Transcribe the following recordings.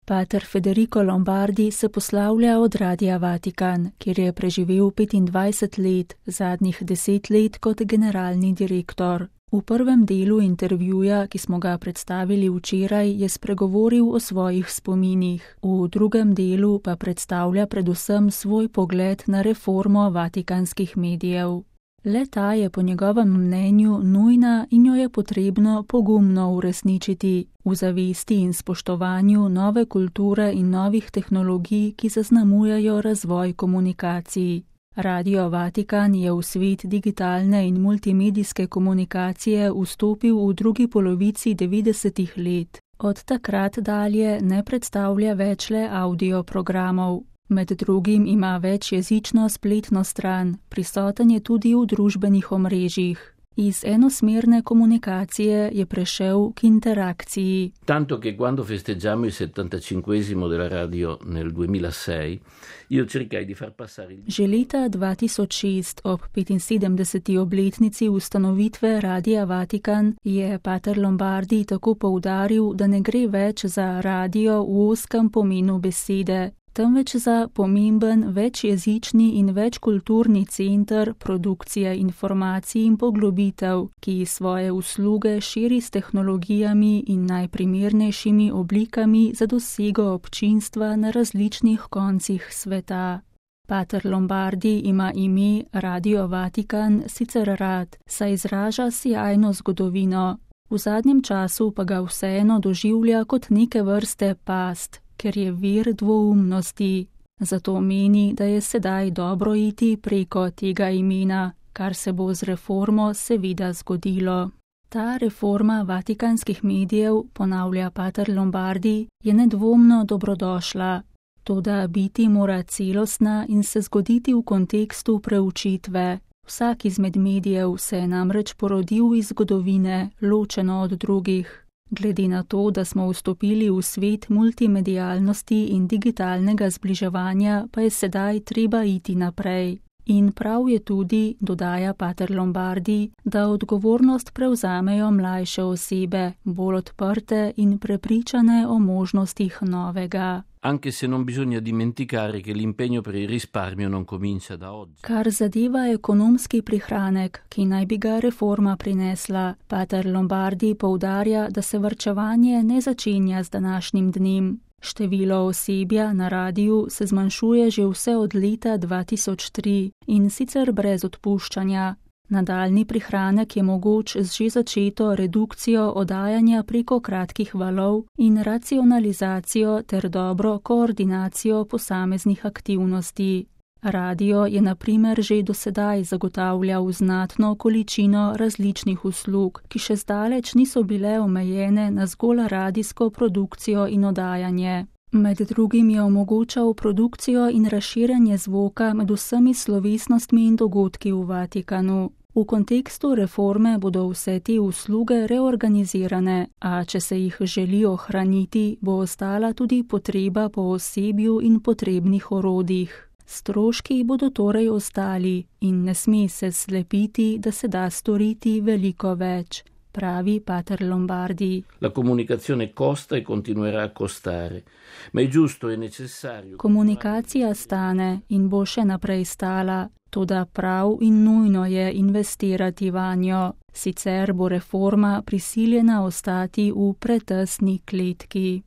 Pater Federico Lombardi se poslavlja od Radia Vatikan, kjer je preživel 25 let, zadnjih 10 let kot generalni direktor. V prvem delu intervjuja, ki smo ga predstavili včeraj, je spregovoril o svojih spominih. V drugem delu pa predstavlja predvsem svoj pogled na reformo vatikanskih medijev. Le-ta je po njegovem mnenju nujna in jo je potrebno pogumno uresničiti, v zavesti in spoštovanju nove kulture in novih tehnologij, ki zaznamujejo razvoj komunikacij. Radio Vatikan je v svet digitalne in multimedijske komunikacije vstopil v drugi polovici 90-ih let. Od takrat dalje ne predstavlja več le audio programov. Med drugim ima večjezično spletno stran, prisoten je tudi v družbenih omrežjih. Iz enosmerne komunikacije je prešel k interakciji. Tanto che quando festeggiamo il 75esimo della radio nel 2006, io cercai di far passare il... Že leta 2006, ob 75. obletnici ustanovitve Radia Vatikan, je pater Lombardi tako poudaril, da ne gre več za radio v ozkem pomenu besede, temveč za pomemben večjezični in večkulturni center produkcije informacij in poglobitev, ki svoje usluge širi s tehnologijami in najprimernejšimi oblikami za dosego občinstva na različnih koncih sveta. Pater Lombardi ima ime Radio Vatikan sicer rad, saj izraža sijajno zgodovino. V zadnjem času pa ga vseeno doživlja kot neke vrste past, ker je vir dvoumnosti. Zato meni, da je sedaj dobro iti preko tega imena, kar se bo z reformo seveda zgodilo. Ta reforma vatikanskih medijev, ponavlja pater Lombardi, je nedvomno dobrodošla. Toda biti mora celostna in se zgoditi v kontekstu preučitve. Vsak izmed medijev se je namreč porodil iz zgodovine, ločeno od drugih. Glede na to, da smo vstopili v svet multimedialnosti in digitalnega zbliževanja, pa je sedaj treba iti naprej. In prav je tudi, dodaja pater Lombardi, da odgovornost prevzamejo mlajše osebe, bolj odprte in prepričane o možnostih novega. Anche se non bisogna dimenticare che l'impegno per il risparmio non comincia da oggi. Kar zadeva ekonomski prihranek, ki naj bi ga reforma prinesla, pater Lombardi poudarja, da se varčevanje ne začenja z današnjim dnem. Število osebja na radiju se zmanjšuje že vse od leta 2003 in sicer brez odpuščanja. Nadaljni prihranek je mogoč z že začeto redukcijo oddajanja preko kratkih valov in racionalizacijo ter dobro koordinacijo posameznih aktivnosti. Radio je na primer že dosedaj zagotavljal znatno količino različnih uslug, ki še zdaleč niso bile omejene na zgolj radijsko produkcijo in oddajanje. Med drugim je omogočal produkcijo in razširjanje zvoka med vsemi slovesnostmi in dogodki v Vatikanu. V kontekstu reforme bodo vse te usluge reorganizirane, a če se jih želi ohraniti, bo ostala tudi potreba po osebju in potrebnih orodjih. Stroški bodo torej ostali in ne sme se slepiti, da se da storiti veliko več, pravi pater Lombardi. La comunicazione costa e continuerà a costare, ma è giusto e necessario. Komunikacija stane in bo še naprej stala, toda prav in nujno je investirati vanjo, sicer bo reforma prisiljena ostati v pretesni kletki.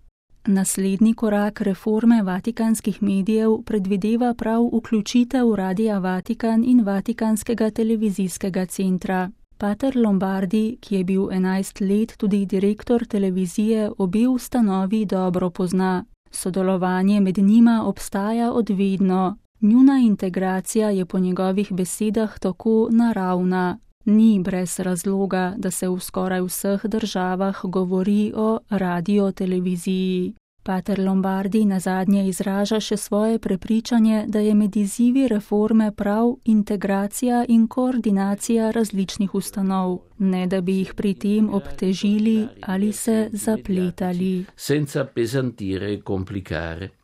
Naslednji korak reforme vatikanskih medijev predvideva prav vključitev Radia Vatikan in Vatikanskega televizijskega centra. Pater Lombardi, ki je bil 11 let tudi direktor televizije, obe ustanovi dobro pozna. Sodelovanje med njima obstaja od vedno. Njuna integracija je po njegovih besedah tako naravna. Ni brez razloga, da se v skoraj vseh državah govori o radioteleviziji. Pater Lombardi nazadnje izraža še svoje prepričanje, da je med izzivi reforme prav integracija in koordinacija različnih ustanov, ne da bi jih pri tem obtežili ali se zapletali. Senza pesantire e complicare.